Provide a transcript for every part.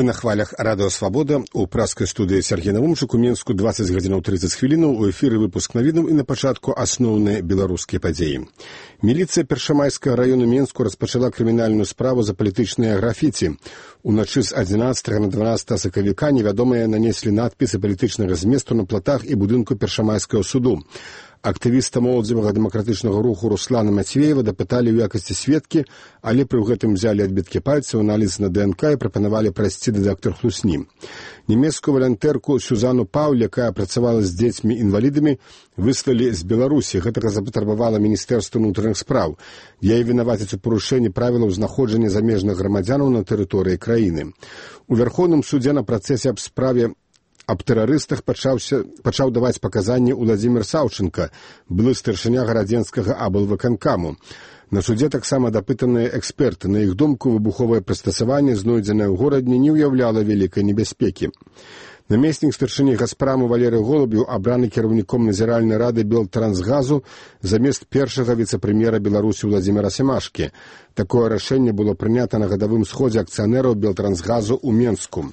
Вы на хвалях радыё «Свабода». У праскай студыі Сергей Навумчык. У Мінску 20 гадзінаў 30 хвілінаў. У эфіры выпуск навінаў і на пачатку асноўныя беларускія падзеі. Міліцыя Першамайскага раёну Мінску распачала крымінальную справу за палітычныя графіці. Уначы з 11 на 12 сакавіка невядомыя нанеслі надпісы палітычнага зместу на платах і будынку Першамайскага суду. Актывіста моладзевага дэмакратычнага руху Руслана Мацвеева дапыталі ў якасці сведкі, але пры гэтым взялі адбіткі пальцаў, аналіз на ДНК і прапанавалі прайсці дэтектар хлусні. Нямецкую валантэрку Сюзану Пауль, якая працавала з дзецьмі-інвалідамі, выслалі з Беларусі. Гэтага запатрабавала Міністэрства ўнутраных спраў. Яе вінавацяць у парушэнні правілаў знаходжання замежных грамадзянаў на тэрыторыі краіны. У Вярхоўным судзе на працэсе аб справе аб тэрарыстах пачаў даваць паказанні Уладзімір Саўчынка, былы старшыня гарадзенскага аблвыканкаму. На судзе таксама дапытаныя эксперты. На іх думку, выбуховае прыстасаванне, знойдзенае ў горадзе, не ўяўляла вялікай небяспекі. Намеснік старшыні Газпраму Валерый Голубеў абраны кіраўніком назіральнай рады Белтрансгазу замест першага віцэ-прэм'ера Беларусі Владзіміра Семашкі. Такое рашэнне было прынята на гадавым сходзе акцыянераў Белтрансгазу ў Менску.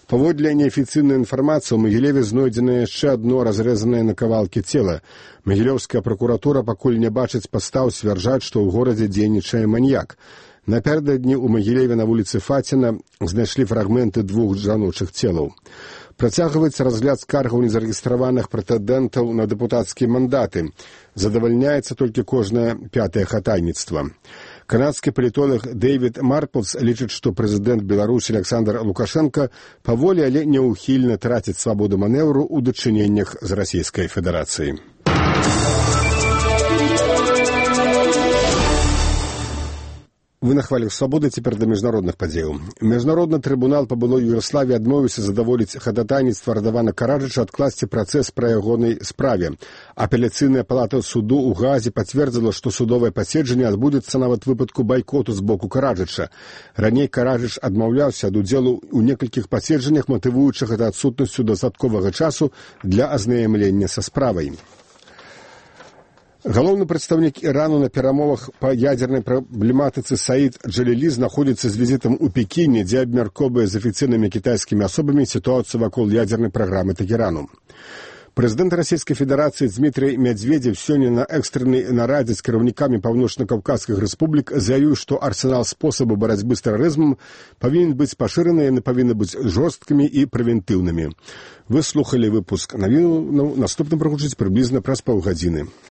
Паводле неафіцыйнай інфармацыі, у Магілеве знойдзена яшчэ адно разрэзанае на кавалкі цела. Магілёўская пракуратура пакуль не бачыць падстаў сцвярджаць, што ў горадзе дзейнічае маньяк. Напярэдадні ў Магілеве на вуліцы Фаціна знайшлі фрагменты 2 жаночых целаў. Працягваецца разгляд скаргаў незарэгістраваных прэтэндэнтаў на дэпутацкія мандаты. Задавальняецца толькі кожнае 5-е хатайніцтва. Канадскі палітолог Дэвід Марплс лічыць, што прэзідэнт Беларусі Александр Лукашенко паволі, але няўхільна траціць свабоду манеўру ў дачыненнях з Расійскай Федэрацыяй. Вы на хвалях «Свабоды», цяпер да міжнародных падзеяў. Міжнародны трыбунал па былой Югаславіі адмовіўся задаволіць хадатайніцтва Радавана Караджыча адкласці працэс па ягонай справе. Апеляцыйная палата суду ў Гаазе пацвердзіла, што судовае паседжанне адбудзецца нават выпадку байкоту з боку Караджыча. Раней Караджыч адмаўляўся ад удзелу ў некалькіх паседжаннях, матывуючы гэта адсутнасцю дастатковага часу для азнаямлення са справай. Галоўны прадстаўнік Ірану на перамовах па ядзернай праблематыцы Саід Джалілі знаходзіцца з візітам у Пекіне, дзе абмяркоўвае з афіцыйнымі кітайскімі асобамі сітуацыю вакол ядзернай праграмы Тэхерану. Прэзідэнт Расійскай Федэрацыі Дмітрый Мядзведзеў сёння на экстрэннай нарадзе з кіраўнікамі паўночна-каўказскіх рэспублік заявіў, што арсенал спосабу барацьбы з тэрарызмам павінен быць пашыраны, яны павінны быць жорсткімі і прэвентыўнымі. Вы слухалі выпуск навінаў, наступны прагучыць прыблізна праз паўгадзіны.